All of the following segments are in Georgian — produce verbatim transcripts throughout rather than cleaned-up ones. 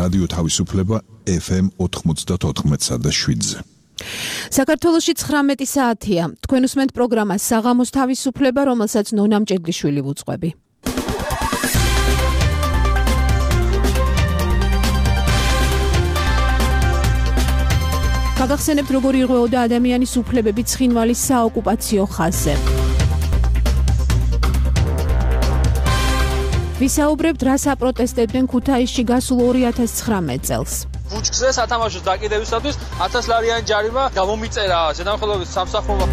რადიო თავისუფლება ეფ ემ ოთხმოცდაოთხ და შვიდზე. საქართველოში ცხრამეტი საათია. თქვენ უსმენთ პროგრამას საღამოს თავისუფლება, რომელსაც ნონა მჭედლიშვილი ვუძღვები. გაგახსენებთ, როგორ ირღვეოდა ადამიანის უფლებები ცხინვალის საოკუპაციო ხაზზე. ვისაუბრებთ, რა საპროტესტებდნენ ქუთაისში გასულ ორი ათას ცხრამეტ წელს. ბუჩქზე სათამაშოს დაკიდებისათვის ათას ლარიანი ჯარიმა გამომიწერა ზედამხედველობის სამსახურმა.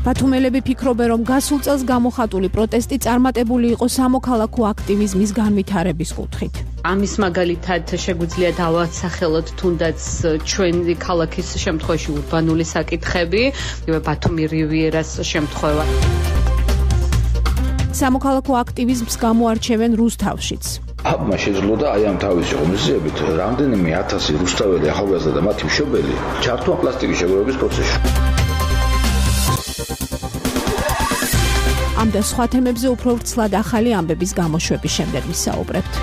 ბათუმელები ფიქრობენ, რომ გასულ წელს გამოხატული პროტესტი წარმატებული იყო სამოქალაქო აქტივიზმის განვითარების კუთხით. ამის მაგალითად შეგვიძლია დავასახელოთ თუნდაც ჩვენი ქალაქის შემთხვევაში ურბანული საკითხები, ბათუმი რივიერას შემთხვევა. სამოქალაქო აქტივიზმს გამოარჩევენ რუსთავშიც. აბმა შეძლო და აი ამ თავისი ღონისძიებით რამდენიმე ათასი რუსთაველი ახალგაზრდა და მათი მშობელი ჩართუა პლასტიკის შეგროვების პროცესში. ამ და სხვა თემებზე უფრო ვრცლად ახალი ამბების გამოშვების შემდეგ ვისაუბრებთ.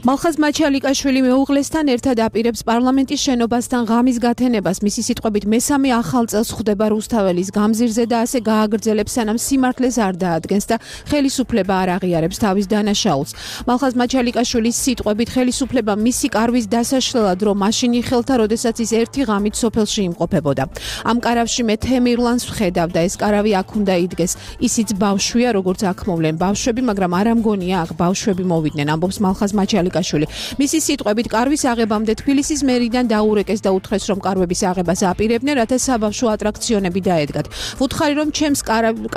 მალხაზ მაჩალიკაშვილი მეუღლესთან ერთად აპირებს პარლამენტის შენობასთან ღამის გათენებას. მისი სიტყვებით, მესამე ახალ წელს ხვდება რუსთაველის გამზირზე და ასე გააგრძელებს, სანამ სიმართლეს არ დაადგენს და ხელისუფლება არ აღიარებს თავის დანაშაულს. მალხაზ მაჩალიკაშვილის სიტყვებით, ხელისუფლება მისი კარვის დასაშლელად რომ მაშინ იხელთა, როდესაც ის ერთი ღამით სოფელში იმყოფებოდა. ამ კარავში მე თემირლანს ვხედავ და ეს კარავი აქ უნდა იდგეს. ისიც ბავშვია, როგორც აქ მოვლენ ბავშვები, მაგრამ არ ამგონია აქ ბავშვები მოვიდნენ, ამბობს მალხაზ მაჩალიკაშვილი. მისი სიტყვებით, კარვის აღებამდე თბილისის მერიდან დაურეკეს და უთხრეს, რომ კარვების აღებას აპირებდნენ, რათა საბავშვო ატრაქციონები დაედგათ. ვუთხარი, რომ ჩემს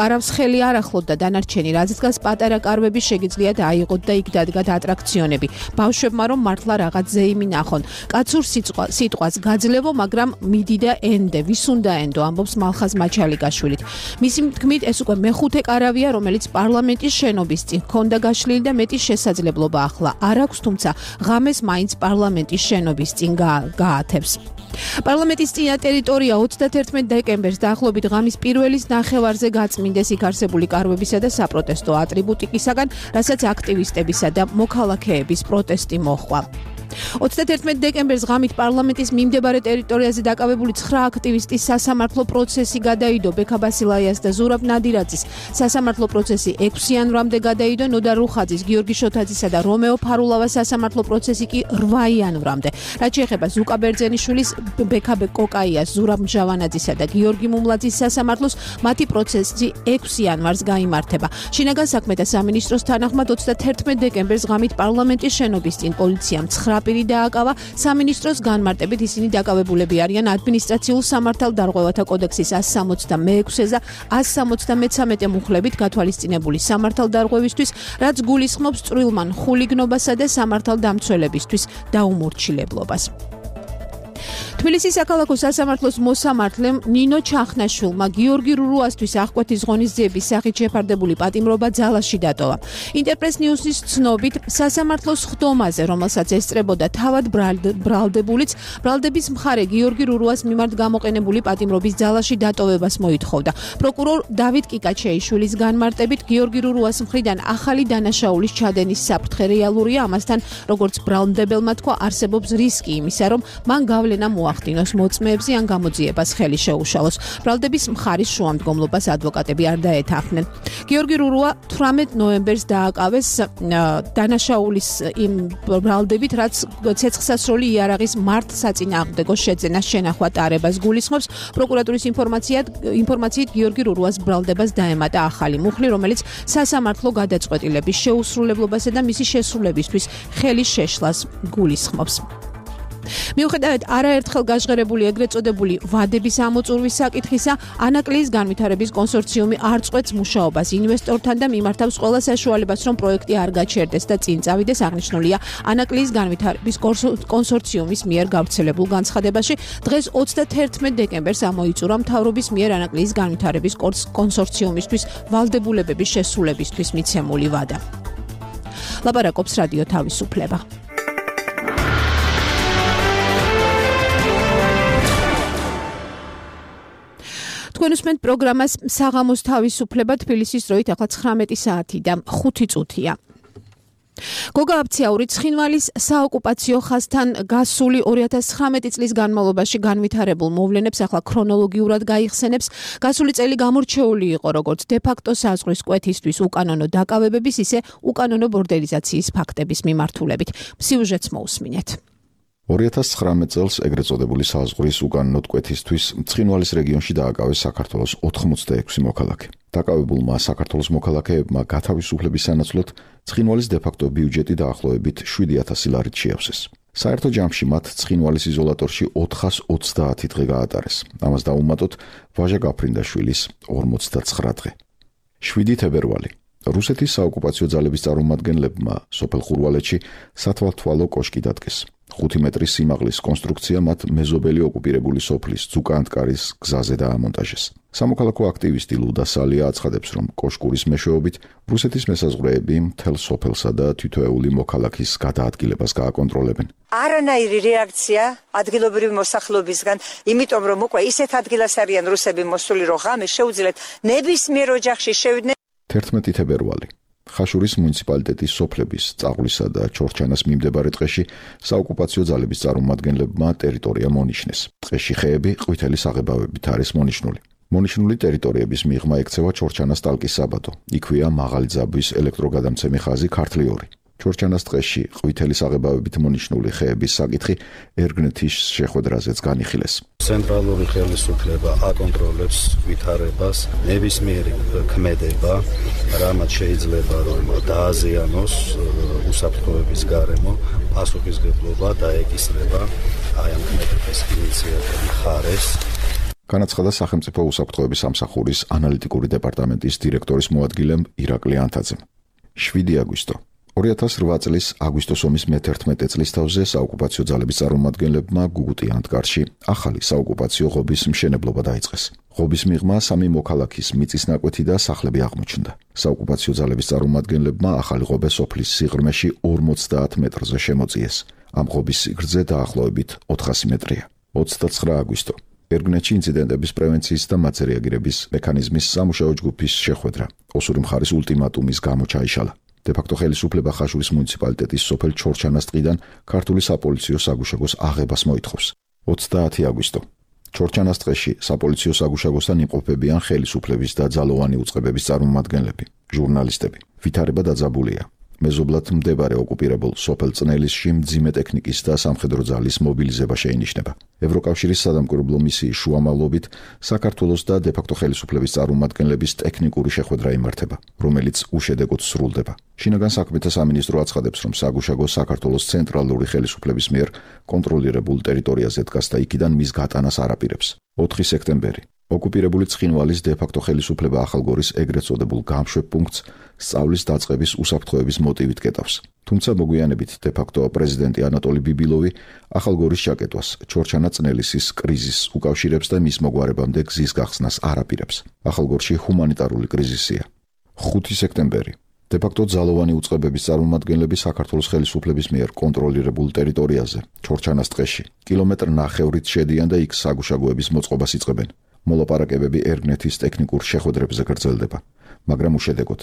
კარავს ხელი არ ახლოთ და დანარჩენი, რაც დგას პატარა კარვები შეგიძლიათ აიღოთ და იქ დადგათ ატრაქციონები. ბავშვებმა რომ მართლა რაღაც ზეიმი ნახონ. კაცურ სიტყვას გაძლევო, მაგრამ მიდი და ენდე, ვის უნდა ენდო, ამბობს მალხაზ მაჩალიკაშვილით. მისი თქმით, ეს უკვე მეხუთე კარავია, რომელიც პარლამენტის შენობის წინ ჰქონდა გაშლილი და მეტი შესაძლებლობა ახლა არ აქვს, თუმცა ღამეს მაინც პარლამენტის შენობის წინ გაათებს. პარლამენტის წინა ტერიტორია ოცდათერთმეტ დეკემბერს დაახლოებით ღამის პირველის ნახევარზე გაწმინდეს იქ არსებული კარვებისა და საპროტესტო ატრიბუტიკისაგან, რასაც აქტივისტებისა და მოქალაქეების პროტესტი მოჰყვა. ოცდათერთმეტ დეკემბერს ღამით პარლამენტის მიმდებარე ტერიტორიაზე დაკავებული ცხრა აქტივისტის სასამართლო პროცესი გადაიდო. ბექა ბასილაიას და ზურაბ ნადირაძის სასამართლო პროცესი ექვსი იანვრამდე გადაიდო. ნოდა რუხაძის, გიორგი შოთაძისა და რომეო ფარულავას სასამართლო პროცესი კი რვა იანვრამდე. რაც შეეხება ზუკა ბერძენიშვილის, ბექა კოკაიას, ზურაბ მჟავანაძისა და გიორგი მუმლაძის სასამართლოს, მათი პროცესი ექვსი იანვარს გაიმართება. შინაგან საქმეთა სამინისტროს თანახმად ოცდათერთმეტ დეკემბერს ღამით პარლამენტის შენობის წინ პოლიციამ ცხრა პირი დააკავა. სამინისტროს განმარტებით ისინი დაკავებულები არიან ადმინისტრაციულ სამართალდარღვევათა კოდექსის ასი სამოცდამეექვსე და ასი სამოცდამეცამეტე მუხლებით გათვალისწინებული სამართალდარღვევისთვის, რაც გულისხმობს წვრილმან ხულიგნობასა და სამართალდამცველებისთვის დაუმორჩილებლობას. თბილისის საქალაქო სასამართლოს მოსამართლემ ნინო ჩახნაშვილმა გიორგი რურუასთვის აღკვეთის ღონისძიების სახით შეფარდებული პატიმრობა ძალაში დატოვა. ინტერპრეს ნიუსის ცნობით, სასამართლოს ხდომაზე, რომელსაც ესწრებოდა თავად ბრალდებულიც, ბრალდების მხარე გიორგი რურუას მიმართ გამოყენებული პატიმრობის ძალაში დატოვებას მოითხოვდა. პროკურორ დავით კიკაჩეიშვილის განმარტებით, გიორგი რურუას მხრიდან ახალი დანაშაულის ჩადენის საფრთხე რეალურია, ამასთან, როგორც ბრალდებელმა თქვა, არსებობს რისკი იმისა, რომ მან გავლენა მოახდინოს მოწმეებზე ან გამოძიებას ხელი შეუშალოს. ბრალდების მხარის შუამდგომლობას ადვოკატები არ დაეთანხმნენ. გიორგი რურუა თვრამეტ ნოემბერს დააკავეს დანაშაულის იმ ბრალდებით, რაც ცეცხლსასროლი იარაღის მართ საწინააღმდეგო შეძენას შენახვა ტარებას გულისხმობს. პროკურატურის ინფორმაციით გიორგი რურუას ბრალდებას დაემატა ახალი მუხლი, რომელიც სასამართლო გადაწყვეტილების შეუსრულებლობასა და მისი შესრულებისთვის ხელის შეშლას გულისხმობს. მიუხედავად არაერთხელ გაჟღერებული ეგრეთ წოდებული ვადების ამოწურვის საკითხისა, ანაკლიის განვითარების კონსორციუმი არ წყვეტს მუშაობას ინვესტორთან და მიმართავს ყველა საშუალებას, რომ პროექტი არ გაჩერდეს და წინ წავიდეს. აღნიშნულია ანაკლიის განვითარების კონსორციუმის მიერ გავრცელებულ განცხადებაში. დღეს ოცდათერთმეტ დეკემბერს ამოიწურა მთავრობის მიერ ანაკლიის განვითარების კონსორციუმისთვის ვალდებულებების შესრულებისთვის მიცემული ვადა. ლაპარაკობს რადიო თავისუფლება. თქვენ უსმენთ პროგრამას საღამოს თავისუფლება თბილისის დროით ახლა ცხრამეტი საათი და ხუთი წუთია. გოგა აფციაური ცხინვალის საოკუპაციო ხაზთან გასული ორი ათას ცხრამეტი წლის განმავლობაში განვითარებულ მოვლენებს ახლა ქრონოლოგიურად გაიხსენებს. გასული წელი გამორჩეული იყო როგორც დე-ფაქტო საზღვრის კვეთისთვის უკანონო დაკავებების, ისე უკანონო ბორდელიზაციის ფაქტების მიმართულებით. სიუჟეტს მოусმინეთ. ორი ათას ცხრამეტ წელს ეგრეთ წოდებული საზღვრის უკანონო კვეთისთვის ცხინვალის რეგიონში დააკავეს საქართველოს ოთხმოცდაექვსი მოქალაქე. დაკავებულმა საქართველოს მოქალაქეებმა გათავისუფლების სანაცვლოდ ცხინვალის დე-ფაქტო ბიუჯეტი დაახლოებით შვიდი ათასი ლარით შეავსეს. საერთო ჯამში მათ ცხინვალის იზოლატორში ოთხას ოცდაათი დღე გაატარეს. ამას დაუმატოთ ვაჟა გაფრინდაშვილის ორმოცდაცხრა დღე. შვიდი თებერვალი. რუსეთის საოკუპაციო ძალების წარმომადგენლებმა სოფელ ხურვალეთში სათვალთვალო კოშკი დადგეს. ხუთი მეტრის სიმაღლის კონსტრუქცია მათ მეზობელი ოკუპირებული სოფლის ძუკანტკარის გზაზე დაამონტაჟეს. სამოქალაქო აქტივისტი ლუდა სალია აცხადებს, რომ კოშკურის მეშვეობით რუსეთის მესაზღვრეები მთელ სოფელსა და თითოეული მოქალაქის გადაადგილებას გააკონტროლებენ. არანაირი რეაქცია ადგილობრივი მოსახლეობისგან, იმიტომ რომ უკვე ისეთ ადგილას არიან რუსები მოსული, რომ ღამე შეუძლიათ ნებისმიერ ოჯახში შევიდნენ. თერთმეტი თებერვალი. ხაშურის მუნიციპალიტეტის სოფლების წაღვლისა და ჩორჩანას მიმდებარე ტყეში საოკუპაციო ძალების წარმომადგენლებმა ტერიტორია მონიშნეს. ტყეში ხეები ყვითელი საღებავებით არის მონიშნული. მონიშნული ტერიტორიების მიღმა ექცევა ჩორჩანას ტალკის საბადო. იქვეა მაღალი ძაბვის ელექტროგადამცემი ხაზი ქართლი ორი. ჩორჩანას ტყეში ყვითელი საღებავებით მონიშნული ხეების საკითხი ერგნეთის შეხვედრაზეც განიხილეს. ცენტრალური ხელისუფლება აკონტროლებს ვითარებას, ნებისმიერი ქმედება, რამაც შეიძლება რომ დააზიანოს უსაფრთხოების გარემო, პასუხისმგებლობა დაეკისრება აი ამ ქმედების ინიციატივის მხარეს. განაცხადა სახელმწიფო უსაფრთხოების სამსახურის ანალიტიკური დეპარტამენტის დირექტორის მოადგილემ ირაკლი ანთაძემ. შვიდი აგვისტო. ორი ათას რვა წლის აგვისტოს ომის მეთერთმეტე წლის თავზე საოკუპაციო ძალების წარმომადგენლებმა გუგუტი ანტკარში ახალი საოკუპაციო ღობის მშენებლობა დაიწყეს. ღობის მიღმა სამი მოქალაქის მიწის ნაკვეთი და სახლები აღმოჩნდა. საოკუპაციო ძალების წარმომადგენლებმა ახალი ღობე სოფლის სიღრმეში ორმოცდაათ მეტრზე შემოწიეს. ამ ღობის სიგრძე დაახლოებით ოთხასი მეტრია. ოცდაცხრა აგვისტო. ერგნეთში ინციდენტების პრევენციის და მათზე რეაგირების მექანიზმის სამუშაო ჯგუფის შეხვედრა ოსური მხარის ულტიმატუმის გამო ჩაიშალა. დე-ფაქტო ხელისუფლება ხაშურის მუნიციპალიტეტის სოფელ ჩორჩანას ტყიდან ქართული საპოლიციო საგუშაგოს აღებას მოითხოვს. ოცდაათი აგვისტო. ჩორჩანას ტყეში საპოლიციო საგუშაგოსთან იმყოფებიან ხელისუფლების და ძალოვანი უწყებების წარმომადგენლები, ჟურნალისტები. ვითარება დაძაბულია. მეზობლად მდებარე ოკუპირებულ სოფელ წნელისში მძიმე ტექნიკის და სამხედრო ძალის მობილიზება შეინიშნება. ევროკავშირის სადამკვირვებლო მისიის შუამავლობით საქართველოს და დე-ფაქტო ხელისუფლების წარმომადგენლების ტექნიკური შეხვედრა იმართება, რომელიც უშედეგოდ სრულდება. შინაგან საქმეთა სამინისტრო აცხადებს, რომ საგუშაგო საქართველოს ცენტრალური ხელისუფლების მიერ კონტროლირებულ ტერიტორიაზე დგას და იქიდან მის გატანას არ აპირებს. ოთხი სექტემბერი. ოკუპირებული ცხინვალის დე-ფაქტო ხელისუფლება ახალგორის ეგრეთ წოდებულ გამშვებ პუნქტს სწავლის დაწყების უსაფრთხოების მოტივით კეტავს. თუმცა მოგვიანებით დე-ფაქტო პრეზიდენტი ანატოლი ბიბილოვი ახალგორის ჩაკეტვას ჩორჩანა-წნელისის კრიზისს უკავშირებს და მის მოგვარებამდე გზის გახსნას არ აპირებს. ახალგორში ჰუმანიტარული კრიზისია. ხუთი სექტემბერი. დე-ფაქტო ძალოვანი უწყებების წარმომადგენლები საქართველოს ხელისუფლების მიერ კონტროლირებულ ტერიტორიაზე, ჩორჩანას ტყეში, კილომეტრ ნახევრით შედიან და იქ საგუშაგოების მოწყობას იწყებენ. მოლაპარაკებები ერგნეთის ტექნიკურ შეხვედრებზე გრძელდება, მაგრამ უშედეგოდ.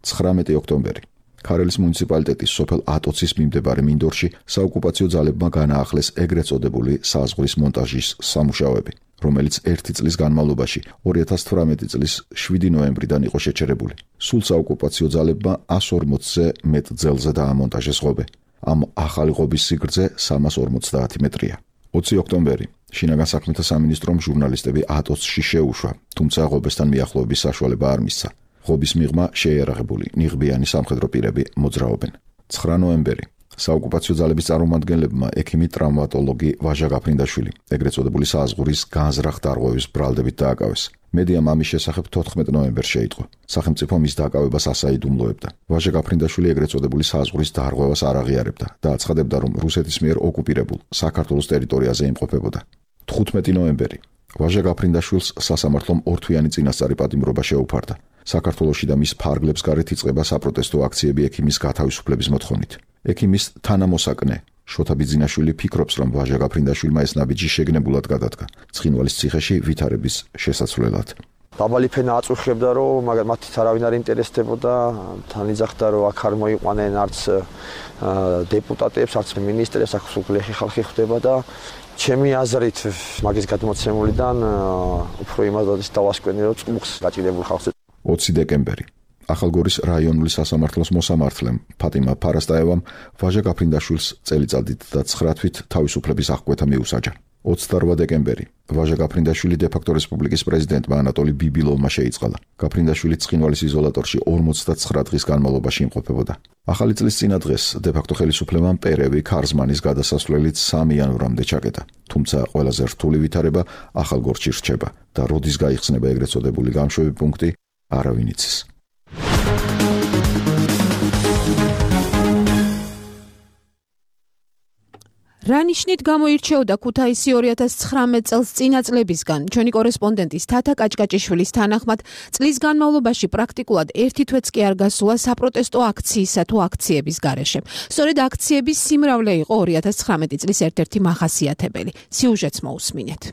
ცხრამეტი ოქტომბერი. ქარელის მუნიციპალიტეტის სოფელ ატოცის მიმდებარე მინდორში საოკუპაციო ძალებმა განაახლეს ეგრეთ წოდებული საზღვრის მონტაჟის სამუშაოები, რომელიც ერთი წლის განმავლობაში ორი ათას თვრამეტი წლის შვიდი ნოემბრიდან იყო შეჩერებული. სულ საოკუპაციო ძალებმა ას ორმოცზე მეტ ძელზე დაამონტაჟეს ღობე. ამ ახალი ღობის სიგრძე სამას ორმოცდაათი მეტრია. ოცი ოქტომბერი. შინაგან საქმეთა სამინისტრომ ჟურნალისტები ატოცში შეუშვა, თუმცა ღობესთან მიახლოების საშუალება არ მისცა. ღობის მიღმა შეიარაღებული ნიღბიანი სამხედრო პირები მოძრაობენ. ცხრა ნოემბერი. საოკუპაციო ძალების წარმომადგენლებმა ექიმი ტრავმატოლოგი ვაჟა გაფრინდაშვილი ეგრეთ წოდებული საზღვრის განზრახ დარღვევის ბრალდებით დააკავეს. მედიამ ამის შესახებ თოთხმეტ ნოემბერს შეიტყო. სახელმწიფო მის დაკავებას ასაიდუმლოებდა. ვაჟა გაფრინდაშვილი ეგრეთ წოდებული საზღვრის დარღვევას არ აღიარებდა და აცხადებდა, რომ რუსეთის მიერ ოკუპირებულ საქართველოს ტერიტორიაზე იმყოფებოდა. თხუთმეტი ნოემბერი. ვაჟა გაფრინდაშვილს სასამართლომ ორთვიანი წინასწარი პატიმრობა შეუფარდა. საქართველოში და მის ფარგლებს გარეთ იწყება საპროტესტო აქციები ექიმის გათავისუფლების მოთხოვნით. ექიმის თანამოსაკნე შოთა ბიძინაშვილი ფიქრობს, რომ ვაჟა გაფრინდაშვილმა ეს ნაბიჯი შეგნებულად გადადგა ცხინვალის ციხეში ვითარების შესაცვლელად. დაბალი ფენა აწუხებდა, რომ მათი არავინ არ ინტერესდებოდა, თან იძახდა, რომ აქ არ მოიყვანენ არც დეპუტატებს, არც მინისტრებს, აქ სულ გლეხი ხალხი ხვდება და ჩემი აზრით მაგის გადმოცემულიდან უფრო იმას დავასკვენი, რომ წყუხს გაჭირებულ ხალხს. ოცი დეკემბერი. ახალგორის რაიონული სასამართლოს მოსამართლემ ფატიმა ფარასტაევამ ვაჟა გაფრინდაშვილს წელიწადით და ცხრა თვით თავისუფლების აღკვეთა მიუსაჯა. ოცდაორვა დეკემბერი. ვაჟა გაფრინდაშვილი დე-ფაქტო რესპუბლიკის პრეზიდენტმა ანატოლი ბიბილოვმა შეიწყალა. გაფრინდაშვილი ცხინვალის იზოლატორში ორმოცდაცხრა დღის განმავლობაში იმყოფებოდა. ახალი წლის წინა დღეს დე-ფაქტო ხელისუფლებამ პერევი ქარზმანის გადასასვლელით სამი იანვრამდე ჩაკეტა. თუმცა ყველაზე რთული ვითარება ახალგორში რჩება და როდის გაიხსნება ეგრეთ წოდებული გამშვები პუნქტი, არავინ იცის. რა ნიშნით გამოირჩეოდა ქუთაისი ორი ათას ცხრამეტ წელს წინა წლებისგან? ჩვენი კორესპონდენტის თათა კაჭკაჭიშვილის თანახმად, წლის განმავლობაში პრაქტიკულად ერთი თვეც კი არ გასულა საპროტესტო აქციისა თუ აქციების გარეშე. სწორედ აქციების სიმრავლე იყო ორი ათას ცხრამეტი წლის ერთ-ერთი მახასიათებელი. სიუჟეტს მოусმინეთ.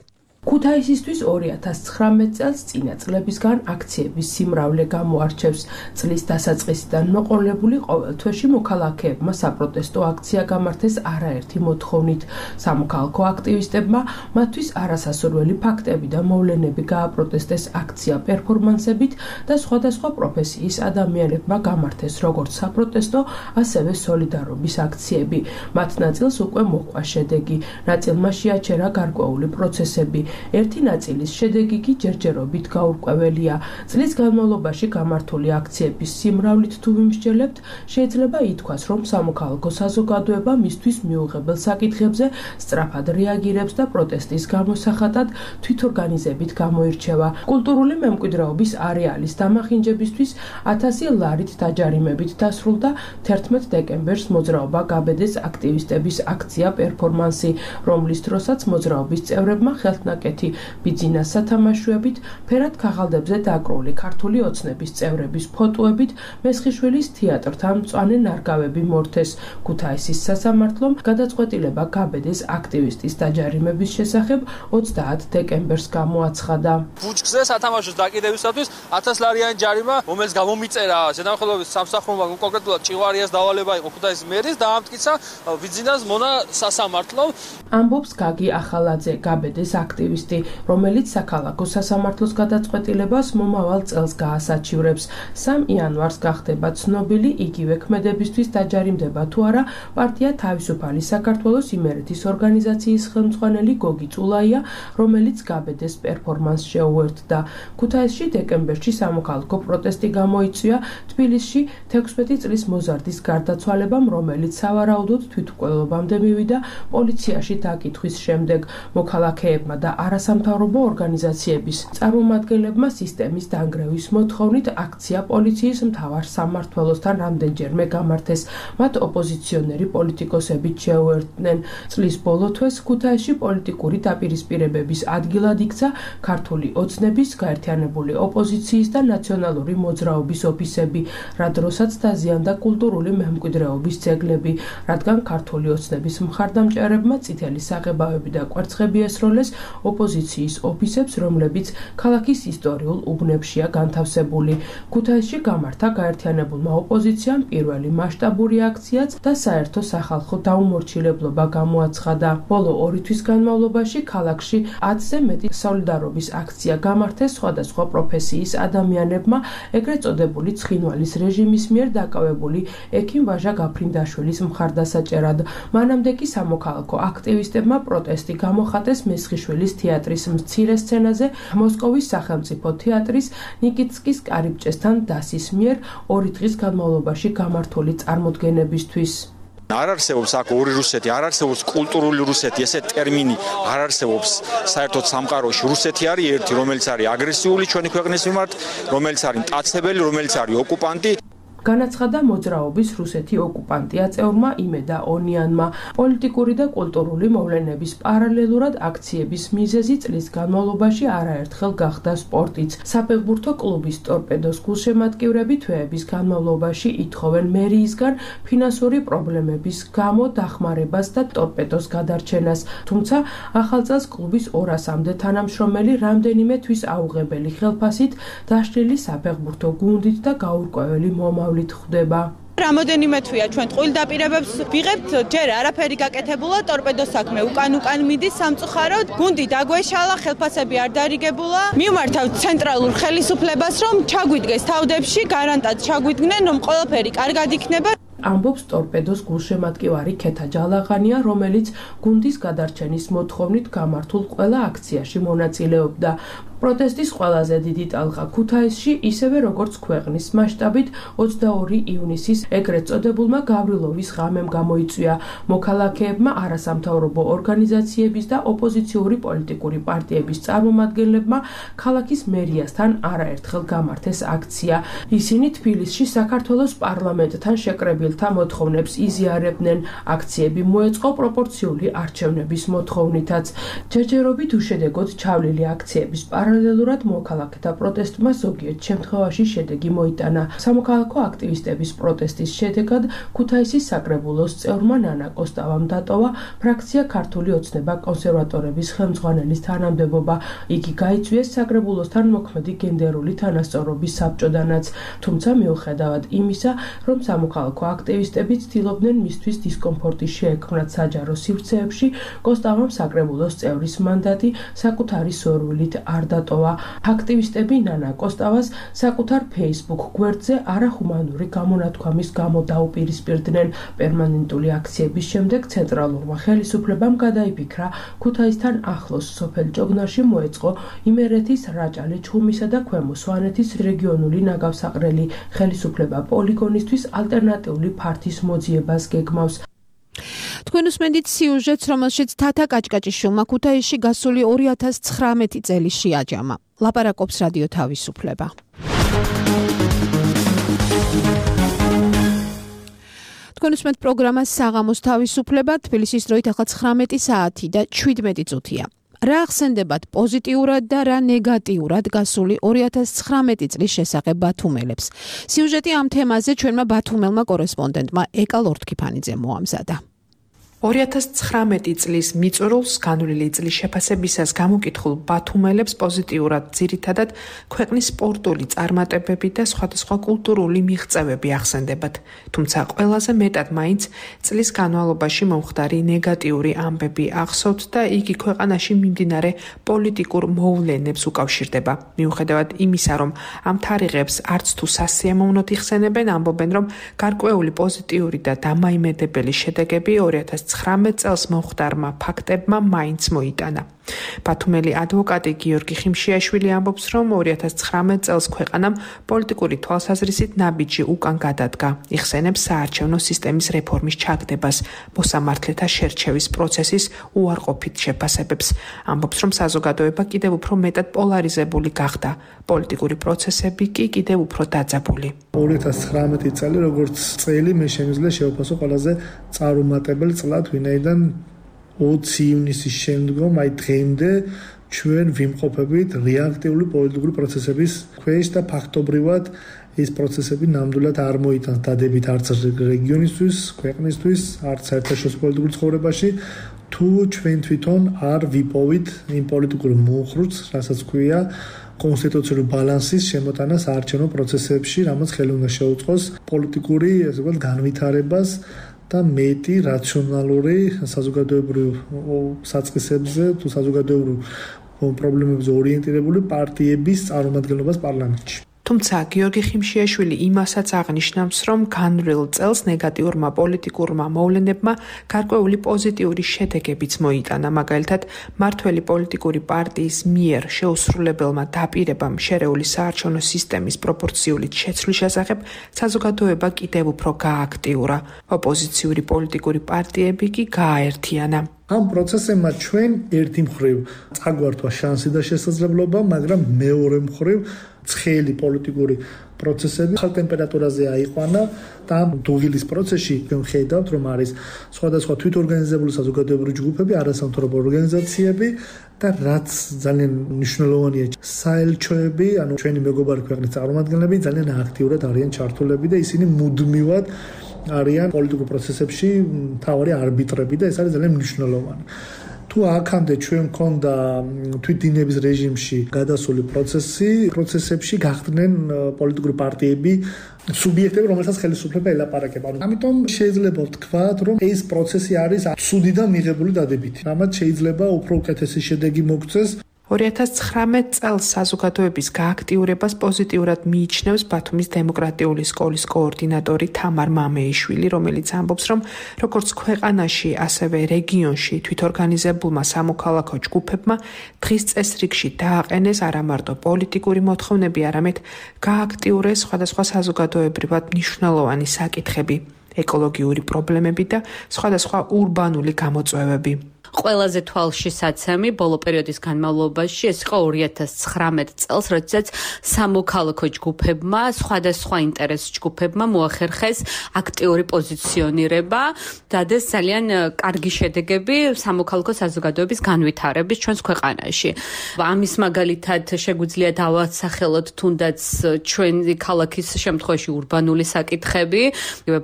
ქუთაისისთვის ორი ათას ცხრამეტ წელს წინა წლებისგან აქციების სიმრავლე გამოარჩევს. წლის დასაწყისიდან მოყოლებული ყოველ თვეში მოქალაქეებმა საპროტესტო აქცია გამართეს არაერთი მოთხოვნით. სამოქალაქო აქტივისტებმა მათთვის არასასურველი ფაქტები და მოვლენები გააპროტესტეს აქცია პერფორმანსებით და სხვადასხვა პროფესიის ადამიანებმა გამართეს როგორც საპროტესტო, ასევე სოლიდარობის აქციები. მათ ნაწილს უკვე მოჰყვა შედეგი, ნაწილმა შეაჩერა გარკვეული პროცესები. ერთი ნაწილის შედეგი კი ჯერჯერობით გაურკვეველია. წლის განმავლობაში გამართული აქციების სიმრავლით თუ ვიმსჯელებთ, შეიძლება ითქვას, რომ სამოქალაქო საზოგადოება მისთვის მიუღებელ საკითხებზე სწრაფად რეაგირებს და პროტესტის გამოსახატად თვითორგანიზებით გამოირჩევა. კულტურული მემკვიდრეობის არეალის დამახინჯებისთვის ათასი ლარით დაჯარიმებით დასრულდა თერთმეტ დეკემბერს მოძრაობა გაბედეს აქტივისტების აქცია პერფორმანსი, რომლის დროსაც მოძრაობის წევრებმა ხელთნაკეთი ბიძინას სათამაშოებით, ფერად ქაღალდებზე დაკრული ქართული ოცნების წევრების ფოტოებით მესხიშვილის თეატრთან მწვანე ნარგავები მორთეს. ქუთაისის სასამართლომ გადაწყვეტილება გაბედეს აქტივისტის დაჯარიმების შესახებ ოცდაათ დეკემბერს გამოაცხადა. ბუჩქზე სათამაშოს დაკიდებისათვის ათას ლარიანი ჯარიმა, რომელიც გამომიწერა ზედამხედველობის სამსახურმა, კონკრეტულად ჭიღვარიას დავალება იყო ქუთაისის მერის და ამტკიცა ბიძინას მონა სასამართლომ. ამბობს გაგი ახალაძე, გაბედეს აქტივისტი, რომელიც საქალაქო სასამართლოს გადაწყვეტილებას მომავალ წელს გაასაჩივრებს. სამი იანვარს გახდება ცნობილი იგივე ქმედებისთვის დაჯარიმდება თუ არა პარტია თავისუფალი საქართველოს იმერეთის ორგანიზაციის ხელმძღვანელი გოგი წულაია, რომელიც გაბედეს პერფორმანსს შეუერთდა. ქუთაისში დეკემბერში სამოქალაქო პროტესტი გამოიწვია თბილისში თექვსმეტი წლის მოზარდის გარდაცვალებამ, რომელიც სავარაუდოდ თვითმკვლელობამდე მივიდა პოლიციაში დაკითხვის შემდეგ. მოქალაქეებმა და არასამთავრობო ორგანიზაციების წარმომადგენლებმა სისტემის დანგრევის მოთხოვნით აქცია პოლიციის მთავარ სამმართველოსთან რამდენჯერმე გამართეს. მათ ოპოზიციონერი პოლიტიკოსებით შეუერთდნენ. წლის ბოლო თვეს ქუთაისში პოლიტიკური დაპირისპირებების ადგილად იქცა ქართული ოცნების, გაერთიანებული ოპოზიციის და ნაციონალური მოძრაობის ოფისები, რა დროსაც დაზიანდა კულტურული მემკვიდრეობის ძეგლები, რადგან ქართული ოცნების მხარდამჭერებმა წითელი საღებავები და კვერცხები ესროლეს ოპოზიციის ოფისებს, რომლებიც ქალაქის ისტორიულ უბნებშია განთავსებული. ქუთაისში გამართა გაერთიანებულმა ოპოზიციამ პირველი მასშტაბური აქციაც და საერთო სახალხო დაუმორჩილებლობა გამოაცხადა. ბოლო ორი თვის განმავლობაში ქალაქში ათზე მეტი სოლიდარობის აქცია გამართეს სხვადასხვა პროფესიის ადამიანებმა, ეგრეთ წოდებული ცხინვალის რეჟიმის მიერ დაკავებული ექიმ ვაჟა გაფრინდაშვილის მხარდასაჭერად. მანამდე კი სამოქალაქო აქტივისტებმა პროტესტი გამოხატეს მესხიშვილის თეატრის მცირე სცენაზე მოსკოვის სახელმწიფო თეატრის ნიკიტსკის კარიბჭესთან დასის მიერ ორი დღის განმავლობაში გამართული წარმოდგენებისთვის. არ არსებობს აქ ორი რუსეთი, არ არსებობს კულტურული რუსეთი, ესე ტერმინი არ არსებობს საერთოდ სამყაროში. რუსეთი არის ერთი, რომელიც არის აგრესიული ჩვენი ქვეყნის მიმართ, რომელიც არის მტაცებელი, რომელიც არის ოკუპანტი. განაცხადა მოძრაობის რუსეთი ოკუპანტია წევრმა იმედა ონიანმა. პოლიტიკური და კულტურული მოვლენების პარალელურად აქციების მიზეზი წლის განმავლობაში არაერთხელ გახდა სპორტიც. საფეხბურთო კლუბის ტორპედოს გულშემატკივრები თვეების განმავლობაში ითხოვენ მერიისგან ფინანსური პრობლემების გამო დახმარებას და ტორპედოს გადარჩენას. თუმცა ახალ წელს კლუბის ორასამდე თანამშრომელი რამდენიმე თვის აუღებელი ხელფასით დაშლილი საფეხბურთო გუნდით და გაურკვეველი მომავლით ხვდება. რამოდენიმე თვეა ჩვენ ტყუილ დაპირებებს ვიღებთ, ჯერ არაფერი გაკეთებულა, ტორპედოს საქმე უკან უკან მიდის სამწუხაროდ, გუნდი დაგვეშალა, ხელფასები არ დარიგებულა. მივმართავთ ცენტრალურ ხელისუფლებას, რომ ჩაგვიდგეს თავდებში, გარანტად ჩაგვიდგნენ, რომ ყველაფერი კარგად იქნება. ამბობს ტორპედოს გულშემატკივარი ქეთა ჯალაღანია, რომელიც გუნდის გადარჩენის მოთხოვნით გამართულ ყველა აქციაში მონაწილეობდა. პროტესტის ყველაზე დიდი ტალღა ქუთაისში, ისევე როგორც ქვეყნის მასშტაბით ოცდაორი ივნისის ეგრეთ წოდებულმა გავრილოვის ღამემ გამოიწვია. მოქალაქეებმა, არასამთავრობო ორგანიზაციების და ოპოზიციური პოლიტიკური პარტიების წარმომადგენლებმა ქალაქის მერიასთან არაერთხელ გამართეს აქცია. ისინი თბილისში საქართველოს პარლამენტთან შეკრებილთა მოთხოვნებს იზიარებდნენ. აქციები მოეწყო პროპორციული არჩევნების მოთხოვნითაც. ჯერჯერობით უშედეგოდ ჩავლილი აქციების პარალელურად მოქალაქეთა პროტესტმა ზოგიერთ შემთხვევაში შედეგი მოიტანა. სამოქალაქო აქტივისტების პროტესტის შედეგად ქუთაისის საკრებულოს წევრმა ნანა კოსტავამ დატოვა ფრაქცია ქართული ოცნება კონსერვატორების ხელმძღვანელის თანამდებობა. იგი გაიწვიეს საკრებულოსთან მოქმედი გენდერული თანასწორობის საბჭოდანაც. თუმცა მიუხედავად იმისა, რომ სამოქალაქო აქტივისტები ცდილობდნენ მისთვის დისკომფორტი შეექმნათ საჯარო სივრცეებში, კოსტავამ საკრებულოს წევრის მანდატი საკუთარი სურვილით არ დატოვა. აქტივისტები ნანა კოსტავას საკუთარ Facebook გვერდზე არახუმანური გამონათქვამის გამო დაუპირისპირდნენ. პერმანენტული აქციების შემდეგ ცენტრალურმა ხელისუფლებამ გადაიფიქრა ქუთაისთან ახლოს სოფელ ჯოგნარში მოეწყო იმერეთის, რაჭალი ჩხუმისა და ქვემო სვანეთის რეგიონული ნაგავსაყრელი. ხელისუფლება პოლიგონისთვის ალტერნატიული ფართის მოძიებას გეგმავს. თქვენ უსმენთ სიუჟეტს, რომელშიც თათა კაჭკაჭიშვილმა ქუთაისში გასული ორი ათას ცხრამეტი წელი შეაჯამა. ლაპარაკობს რადიო თავისუფლება. თქვენ უსმენთ პროგრამას საღამოს თავისუფლება, თბილისის დროით ახლა ცხრამეტი საათი და შვიდმეტი წუთია. რა ახსენდებათ პოზიტიურად და რა ნეგატიურად გასული ორი ათას ცხრამეტი წლის შესახებ ბათუმელებს. სიუჟეტი ამ თემაზე ჩვენმა ბათუმელმა კორესპონდენტმა ეკა ლორთქიფანიძემ მოამზადა. ორი ათას ცხრამეტი წლის მიწურულს განვლილი წლის შეფასებისას გამოკითხულ ბათუმელებს პოზიტიურად ძირითადად ქვეყნის სპორტული წარმატებები და სხვადასხვა კულტურული მიღწევები ახსენდებათ. თუმცა ყველაზე მეტად მაინც წლის განმავლობაში მომხდარი ნეგატიური ამბები ახსოვთ და იგი ქვეყანაში მიმდინარე პოლიტიკურ მოვლენებს უკავშირდება. მიუხედავად იმისა, რომ ამ თარიღებს არც თუ სასიამოვნოდ იხსენებენ, ამბობენ, რომ გარკვეული პოზიტიური და დამაიმედებელი შედეგები ორი ათას ცხრამეტ წელს მომხდარმა ფაქტებმა მაინც მოიტანა. ბათუმელი ადვოკატი გიორგი ხიმშიაშვილი ამბობს, რომ ორი ათას ცხრამეტ წელს ქვეყანამ პოლიტიკური თვალსაზრისით ნაბიჯი უკან გადადგა. იხსენებს საარჩევნო სისტემის რეფორმის ჩაგდებას, მოსამართლეთა შერჩევის პროცესის უარყოფით შეფასებებს. ამბობს, რომ საზოგადოება კიდევ უფრო მეტად პოლარიზებული გახდა, პოლიტიკური პროცესები კი კიდევ უფრო დაძაბული. ორი ათას ცხრამეტი წელი როგორც წელი მე შემიძლია შევფასო ყველაზე წარუმატებელ წლად, ვინაიდან ოცი ივნისის შემდგომ აი დღემდე ჩვენ ვიმყოფებით რეაქტიული პოლიტიკური პროცესების ქვეშ და ფაქტობრივად ეს პროცესები ნამდვილად არ მოიტანს დადებით არც რეგიონისთვის, ქვეყნისთვის, არც საერთაშორისო პოლიტიკურ ცხოვრებაში, თუ ჩვენ თვითონ არ ვიპოვით იმ პოლიტიკურ მუხრუც, რასაც ქვია კონსტიტუციური ბალანსის შემოტანა საარჩევნო პროცესებში, რამაც ხელი უნდა შეუწყოს პოლიტიკური, ასე ვთქვათ, განვითარებას და მეტი რაციონალური საზოგადოებრივ საწყისებზე თუ საზოგადოებრივ პრობლემებზე ორიენტირებული პარტიების წარმომადგენლობას პარლამენტში. თუმცა გიორგი ხიმშიაშვილი იმასაც აღნიშნავს, რომ განვლილ წელს ნეგატიურმა პოლიტიკურმა მოვლენებმა გარკვეული პოზიტიური შედეგებიც მოიტანა. მაგალითად, მართველი პოლიტიკური პარტიის მიერ შეუსრულებელმა დაპირებამ შერეული საარჩევნო სისტემის პროპორციულით შეცვლის შესახებ საზოგადოება კიდევ უფრო გააქტიურა. ოპოზიციური პოლიტიკური პარტიები კი გააერთიანა. ამ პროცესებმა ჩვენ ერთი მხრივ წაგვართვა შანსი და შესაძლებლობა, მაგრამ მეორე მხრივ ცხელი პოლიტიკური პროცესები ხალ ტემპერატურაზე აიყვანა და დუღილის პროცესში ვხედავთ რომ არის სხვადასხვა თვითორგანიზებული საზოგადოებრივი ჯგუფები, არასამთავრობო ორგანიზაციები და რაც ძალიან მნიშვნელოვანია საელჩოები, ანუ ჩვენი მეგობარი ქვეყნის წარმომადგენლები ძალიან აქტიურად არიან ჩართულები და ისინი მუდმივად არიან პოლიტიკურ პროცესებში მთავარი არბიტრები და ეს არის ძალიან მნიშვნელოვანი. თუ აქამდე ჩვენ მქონდა თვითდინების რეჟიმში გადასული პროცესი, პროცესებში გახდნენ პოლიტიკური პარტიები, სუბიექტები, რომელსაც ხელისუფლება ელაპარაკება. ამიტომ შეიძლება ვთქვათ, რომ ეს პროცესი არის ცუდიდან მიღებული დადებითი. რამაც შეიძლება უფრო უკეთესი შედეგი მოგწეს. ორი ათას ცხრამეტ წელს საზოგადოების გააქტიურებას პოზიტიურად მიიჩნევს ბათუმის დემოკრატიული სკოლის კოორდინატორი თამარ მამეიშვილი, რომელიც ამბობს, რომ როგორც ქვეყანაში, ასევე რეგიონში თვითორგანიზებულმა სამოქალაქო ჯგუფებმა დღის წესრიგში დააყენეს არა მარტო პოლიტიკური მოთხოვნები, არამედ გააქტიურეს სხვადასხვა საზოგადოებრივად მნიშვნელოვანი საკითხები, ეკოლოგიური პრობლემები და სხვადასხვა ურბანული გამოწვევები. ყველაზე თვალშისაცემი ბოლო პერიოდის განმავლობაში ეს იყო ორი ათას ცხრამეტ წელს, როდესაც სამოქალაქო ჯგუფებმა, სხვადასხვა ინტერეს ჯგუფებმა მოახერხეს აქტიური პოზიციონირება, დადეს ძალიან კარგი შედეგები სამოქალაქო საზოგადოების განვითარების ჩვენს ქვეყანაში. ამის მაგალითად შეგვიძლია დავასახელოთ თუნდაც ჩვენი ქალაქის შემთხვევაში ურბანული საკითხები,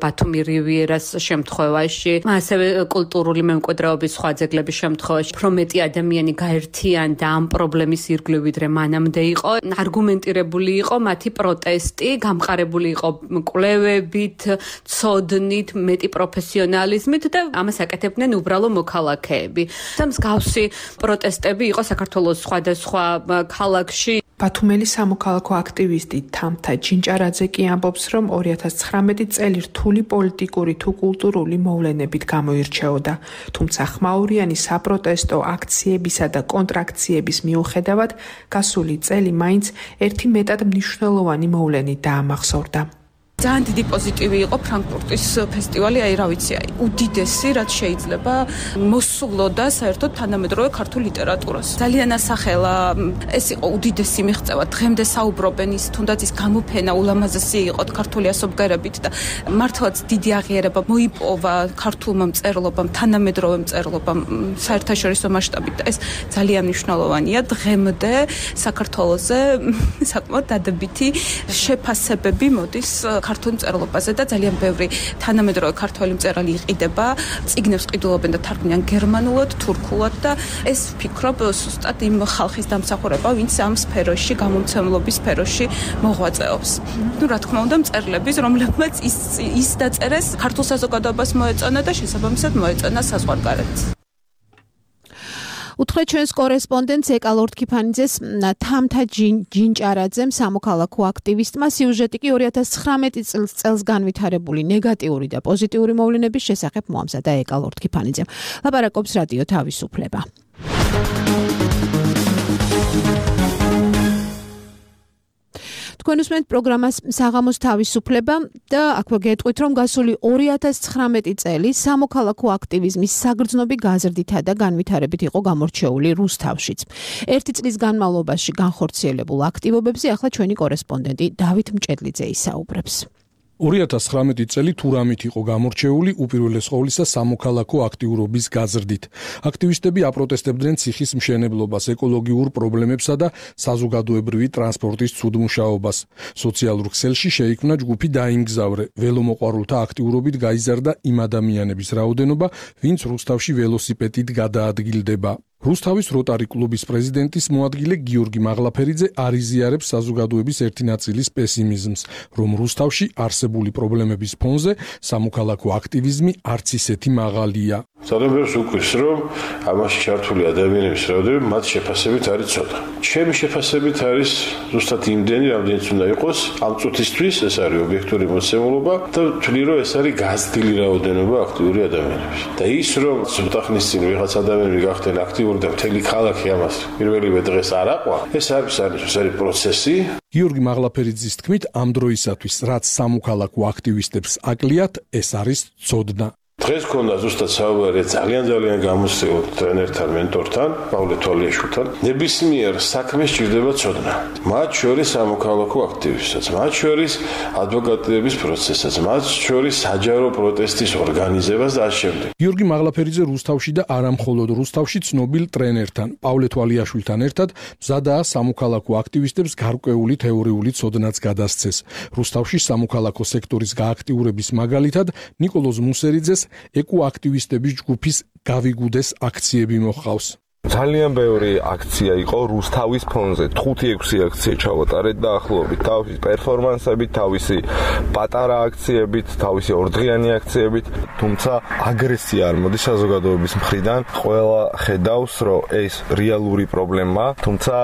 ბათუმი რივიერას შემთხვევაში, ასევე კულტურული მემკვიდრეობის სხვა ძეგლების შემთხვევაში, უფრო მეტი ადამიანი გაერთიანდა ამ პრობლემის ირგვლივ, ვიდრე მანამდე იყო. არგუმენტირებული იყო მათი პროტესტი, გამყარებული იყო კვლევებით, ცოდნით, მეტი პროფესიონალიზმით და ამას აკეთებდნენ უბრალო მოქალაქეები. და მსგავსი პროტესტები იყო საქართველოს სხვადასხვა ქალაქში. ბათუმელი სამოქალაქო აქტივისტი თამთა ჯინჭარაძე კი ამბობს, რომ ორი ათას ცხრამეტი წელი რთული პოლიტიკური თუ კულტურული მოვლენებით გამოირჩეოდა, თუმცა ხმაურიანი საპროტესტო აქციებისა და კონტრაქციების მიუხედავად, გასული წელი მაინც ერთი მეტად მნიშვნელოვანი მოვლენით დაამახსოვრდა. ძალიან დიდი პოზიტივი იყო ფრანკფურტის ფესტივალი, აი რა ვიცი, აი უდიდესი, რაც შეიძლება მოსულოდა საერთოდ თანამედროვე ქართულ ლიტერატურას. ძალიან ასახელა, ეს იყო უდიდესი მიღწევა. დღემდე საუბრობენ ის, თუნდაც ის გამოფენა ულამაზესი იყო ქართული ასობგერებით და მართლაც დიდი აღიარება მოიპოვა ქართულმა მწერლობამ, თანამედროვე მწერლობამ საერთაშორისო მასშტაბით და ეს ძალიან მნიშვნელოვანია. დღემდე საქართველოზე საკმაოდ დადებითი შეფასებები მოდის ქართულ მწერლობაზე და ძალიან ბევრი თანამედროვე ქართველი მწერალი იყიდება, წიგნებს ყიდულობენ და თარგმნიან გერმანულად, თურქულად და ეს ვფიქრობ ზუსტად იმ ხალხის დამსახურება, ვინც ამ სფეროში, გამომცემლობის სფეროში მოღვაწეობს. ნუ რა თქმა უნდა, მწერლების, რომლებმაც ის ის დაწერეს ქართულ საზოგადოებას მოეწონა და შესაბამისად მოეწონა საზღვარგარეთს. უთხრეთ ჩვენს კორესპონდენტს ეკალორდ ქიფანიძეს თამთა ჯინჭარაძემ, სამოქალაქო აქტივისტმა, სიუჟეტი კი ორი ათას ცხრამეტი წელს განვითარებული ნეგატიური და პოზიტიური მოვლენების შესახებ მოამზადა ეკალორდ ქიფანიძემ. ლაპარაკობს რადიო თავისუფლება. თქვენ უსმენთ პროგრამას საღამოს თავისუფლება და აქვე გეტყვით, რომ გასული ორი ათას ცხრამეტი წელი სამოქალაქო აქტივიზმის საგრძნობი გაზრდითა და განვითარებით იყო გამორჩეული რუსთავშიც. ერთი წლის განმავლობაში განხორციელებულ აქტივობებზე ახლა ჩვენი კორესპონდენტი დავით მჭედლიძე ისაუბრებს. ორი ათას ცხრამეტი წელი თუ რამით იყო გამორჩეული უპირველეს ყოვლისა სამოქალაქო აქტიურობის გაზრდით. აქტივისტები აპროტესტებდნენ ციხის მშენებლობას, ეკოლოგიურ პრობლემებსა და საზოგადოებრივი ტრანსპორტის ცუდმუშაობას. სოციალურ ქსელში შეიქმნა ჯგუფი დაიმგზავრე. ველომოყვარულთა აქტიურობით გაიზარდა იმ ადამიანების რაოდენობა, ვინც რუსთავში ველოსიპედით გადაადგილდება. რუსთავის როტარი კლუბის პრეზიდენტის მოადგილე გიორგი მაღლაფერიძე არიზიარებს საზოგადოების ერთი ნაწილის პესიმიზმს, რომ რუსთავში არსებული პრობლემების ფონზე სამოქალაქო აქტივიზმი არც ისეთი მაღალია. Სადღაც უკვის, რომ ამაში ჩართული ადამიანების რაოდენობა მათ შეფასებით არის ცოტა. ჩემი შეფასებით არის ზუსტად იმდენი, რამდენიც უნდა იყოს ამ წუთისთვის, ეს არის ობიექტური მოცემულობა და ვთვლი, რომ ეს არის გაზრდილი რაოდენობა აქტიური ადამიანების. და ის, რომ ცოტა ხნის წინ ვიღაც ადამიანები გახდნენ აქტიური და მთელი ქალაქი ამას პირველივე დღეს არ აყვა, ეს არის ეს არის პროცესი. გიორგი მაღლაფერიძის თქმით, ამ დროისათვის, რაც სამოქალაქო აქტივისტებს აკლიათ, ეს არის ცოდნა. დღეს ქონდა ზუსტად საუბარი ძალიან ძალიან გამოსწორ ტრენერთან, მენტორთან, პავლე თვალიაშვილთან. ნებისმიერ საქმეს სჭირდება ცოდნა. მათ შორის სამოქალაქო აქტივობასაც, მათ შორის ადვოკატების პროცესსაც, მათ შორის საჯარო პროტესტის ორგანიზებას და ამ შემდეგ. გიორგი მაღლაფერიძე რუსთავში და არა მხოლოდ რუსთავში ცნობილ ტრენერთან, პავლე თვალიაშვილთან ერთად მზადაა სამოქალაქო აქტივისტებს გარკვეული თეორიული ცოდნაც გადასცეს. რუსთავში სამოქალაქო სექტორის გააქტიურების მაგალითად ნიკოლოზ მუსერიძეს ეკოაქტივისტების ჯგუფის გავიგუდეს აქციები მოჰყავს. ძალიან ბევრი აქცია იყო რუსთავის ფონზე. ხუთი ექვსი აქცია ჩავატარეთ დაახლოებით. თავისი პერფორმანსებით, თავისი პატარა აქციებით, თავისი ორდღიანი აქციებით, თუმცა აგრესია არ მოდის საზოგადოების მხრიდან. ყველა ხედავს, რომ ეს რეალური პრობლემაა, თუმცა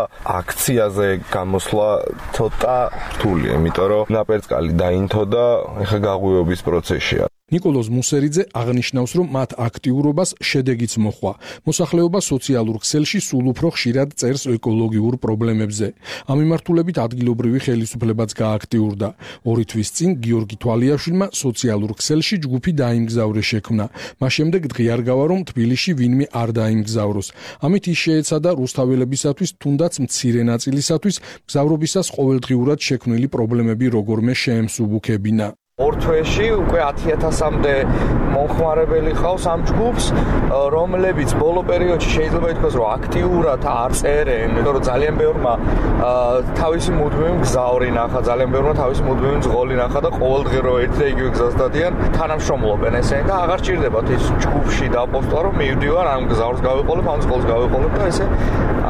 აქციაზე გამოსვლა ცოტა რთულია, იმიტომ რომ ნაპერწკალი დაინთო და ეხა გაღვივების პროცესია. ნიკოლოზ მუსერიძე აღნიშნავს, რომ მათ აქტიურობას შედეგიც მოჰყვა. მოსახლეობა სოციალურ ქსელში სულ უფრო ხშირად წერს ეკოლოგიურ პრობლემებზე. ამ მიმართულებით ადგილობრივი ხელისუფლებაც გააქტიურდა. ორი თვის წინ გიორგი თვალიაშვილმა სოციალურ ქსელში ჯგუფი დაიმგზავრე შექმნა. მას შემდეგ დღიარგავა, რომ თბილისში ვინმე არ დაიმგზავროს. ამით ის შეეცადა რუსთაველებისათვის, თუნდაც მცირე ნაწილისათვის, მგზავრობისას ყოველდღიურად შექმნილი პრობლემები როგორმე შეემსუბუქებინა. ორ თვეში უკვე ათი ათასამდე მომხმარებელი ყავს ამ ჯგუფს, რომლებიც ბოლო პერიოდში შეიძლება ითქვას, რომ აქტიურად არ წერენ, იმიტომ რომ ძალიან ბევრმა თავისი მუდმივი მგზავრი ნახა, ძალიან ბევრმა თავისი მუდმივი მძღოლი ნახა და ყოველდღე რო ერთ და იგივე გზას დადიან, თანამშრომლობენ ესენი და აღარ ჭირდებათ ის ჯგუფში დაპოსტვა, რომ მივდივარ ამ გზავრს გავიყოლებ, ამ მძღოლს გავიყოლებ და ესე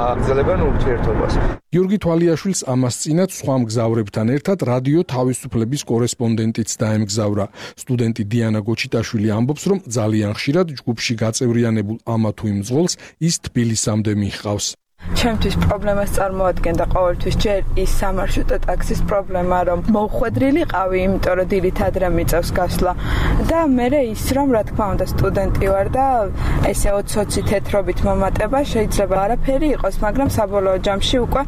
აგრძელებენ ურთიერთობას. გიორგი თვალიაშვილს ამას წინათ სხვა მგზავრებთან ერთად რადიო თავისუფლების კორესპონდენტიც დაემგზავრა. სტუდენტი დიანა გოჩიტაშვილი ამბობს, რომ ძალიან ხშირად ჯგუფში გაწევრიანებულ ამა თუ იმ მძღოლს ის თბილისამდე მიჰყავს. ჩემთვის პრობლემას წარმოადგენდა ყოველთვის ჯერ ის სამარშრუტო ტაქსის პრობლემა, რომ მოუხვედრილიყავი, იმიტომ რომ დილით ადრე მიწევს გასვლა და მერე ის, რომ რა თქმა უნდა სტუდენტი ვარ და ესე ოცი თეთრობით მომატება შეიძლება არაფერი იყოს, მაგრამ საბოლოო ჯამში უკვე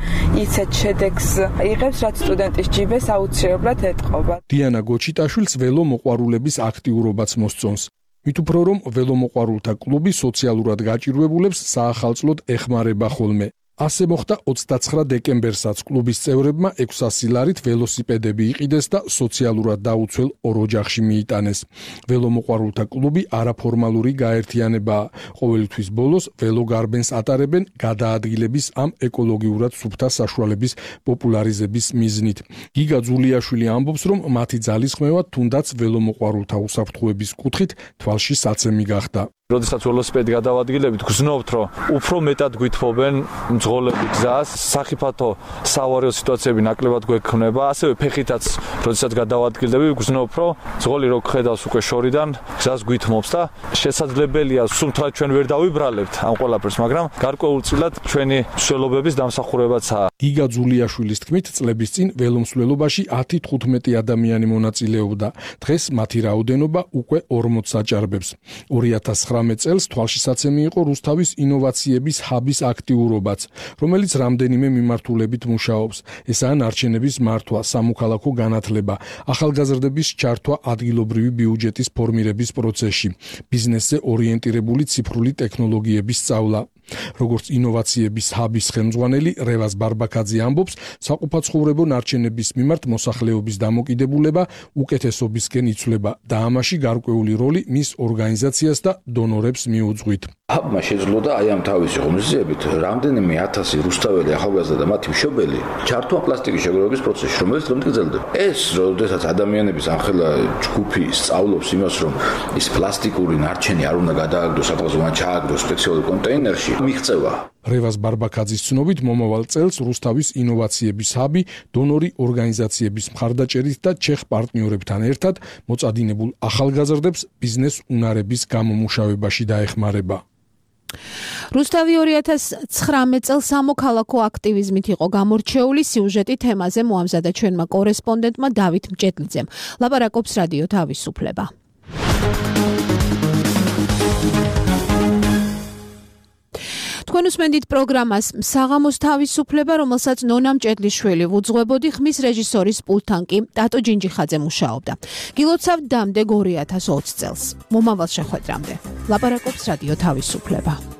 ისეთ შედეგს იღებს, რაც სტუდენტის ჯიბეს აუცილებლად ეტყობა. დიანა გოჩიტაშვილს ველომოყვარულების აქტიურობაც მოსწონს. მით უფრო რომ ველომოყვარულთა კლუბი სოციალურად გაჭირვებულებს საახალწლოდ ეხმარება ხოლმე. ასე მოხდა ოცდაცხრა დეკემბერსაც კლუბის წევრებმა ექვსასი ლარით ველოსიპედები იყიდეს და სოციალურად დაუცველ ორ ოჯახში მიიტანეს. ველომოყვარულთა კლუბი არაფორმალური გაერთიანებაა. ყოველი თვის ბოლოს ველოგარბენს ატარებენ გადაადგილების ამ ეკოლოგიურად სუფთა საშუალების პოპულარიზების მიზნით. გიგა ძულიაშვილი ამბობს, რომ მათი ძალისხმევა თუნდაც ველომოყვარულთა უსაფრთხოების კუთხით თვალში საცემი გახდა. როდესაც ველოსიპედი გადავადგილებით, გრძნობთ, რომ უფრო მეტად გვითმობენ მძღოლები გზას, სახიფათო სავარიო სიტუაციები ნაკლებად გვექნება, ასევე ფეხითაც, როდესაც გადავადგილდები, გრძნობ, რომ მძღოლი რო ხედავს უკვე შორიდან, გზას გვითმობს და შესაძლებელია სულ ჩვენ ვერ დავიბრალებთ ამ ყველაფერს, მაგრამ გარკვეულწილად ჩვენი მსვლელობების დამსახურებაცაა. გიგა ძულიაშვილის თქმით, წლების წინ ველომსვლელობაში ათი თხუთმეტი ადამიანი მონაწილეობდა. დღეს მათი რაოდენობა უკვე ორმოცს აჭარბებს. ორი ათას ცხრამეტ წელს თვალშისაცემი იყო რუსთავის ინოვაციების ჰაბის აქტიურობაც, რომელიც რამდენიმე მიმართულებით მუშაობს. ესაა ნარჩენების მართვა, სამოქალაქო განათლება, ახალგაზრდების ჩართვა ადგილობრივი ბიუჯეტის ფორმირების პროცესში, ბიზნესზე ორიენტირებული ციფრული ტექნოლოგიების სწავლა. როგორც ინოვაციების ჰაბის ხელმძღვანელი რევაზ ბარბაკაძე ამბობს, საყოფაცხოვრებო ნარჩენების მიმართ მოსახლეობის დამოკიდებულება უკეთესობისკენ იცვლება და ამაში გარკვეული როლი მის ორგანიზაციას და დონორებს მიუძღვით. ჰაბმა შეძლო და აი ამ თავისი ღონისძიებით რამდენიმე ათასი რუსთაველი ახალგაზრდა და მათი მშობელი ჩართვა პლასტიკის შეგროვების პროცესში, რომელიც დღემდე გრძელდება. ეს, როდესაც ადამიანების ამხელა ჯგუფი სწავლობს იმას, რომ ის პლასტიკური ნარჩენი არ უნდა გადააგდოს, სადღაც უნდა ჩააგდოს სპეციალურ კონტეინერში, მიღწევა. რევაზ ბარბაკაძის ცნობით მომავალ წელს რუსთავის ინოვაციების ჰაბი დონორი ორგანიზაციების მხარდაჭერით და ჩეხ პარტნიორებთან ერთად მოწადინებულ ახალგაზრდებს ბიზნეს უნარების გამომუშავებაში დაეხმარება. რუსთავი ორი ათას ცხრამეტ წელს სამოქალაქო აქტივიზმით იყო გამორჩეული. სიუჟეტი თემაზე მოამზადა ჩვენმა კორესპონდენტმა დავით მჭედლიძემ. ლაპარაკობს რადიო თავისუფლება. თქვენ უსმენთ პროგრამას საღამოს თავისუფლება, რომელსაც ნონა მჭედლიშვილი უძღვებოდი, ხმის რეჟისორის პულტთან კი ტატო ჯინჯიხაძე მუშაობდა. გილოცავთ დამდეგ ორი ათას ოცი წელს. მომავალ შეხვედრამდე. ლაპარაკობს რადიო თავისუფლება.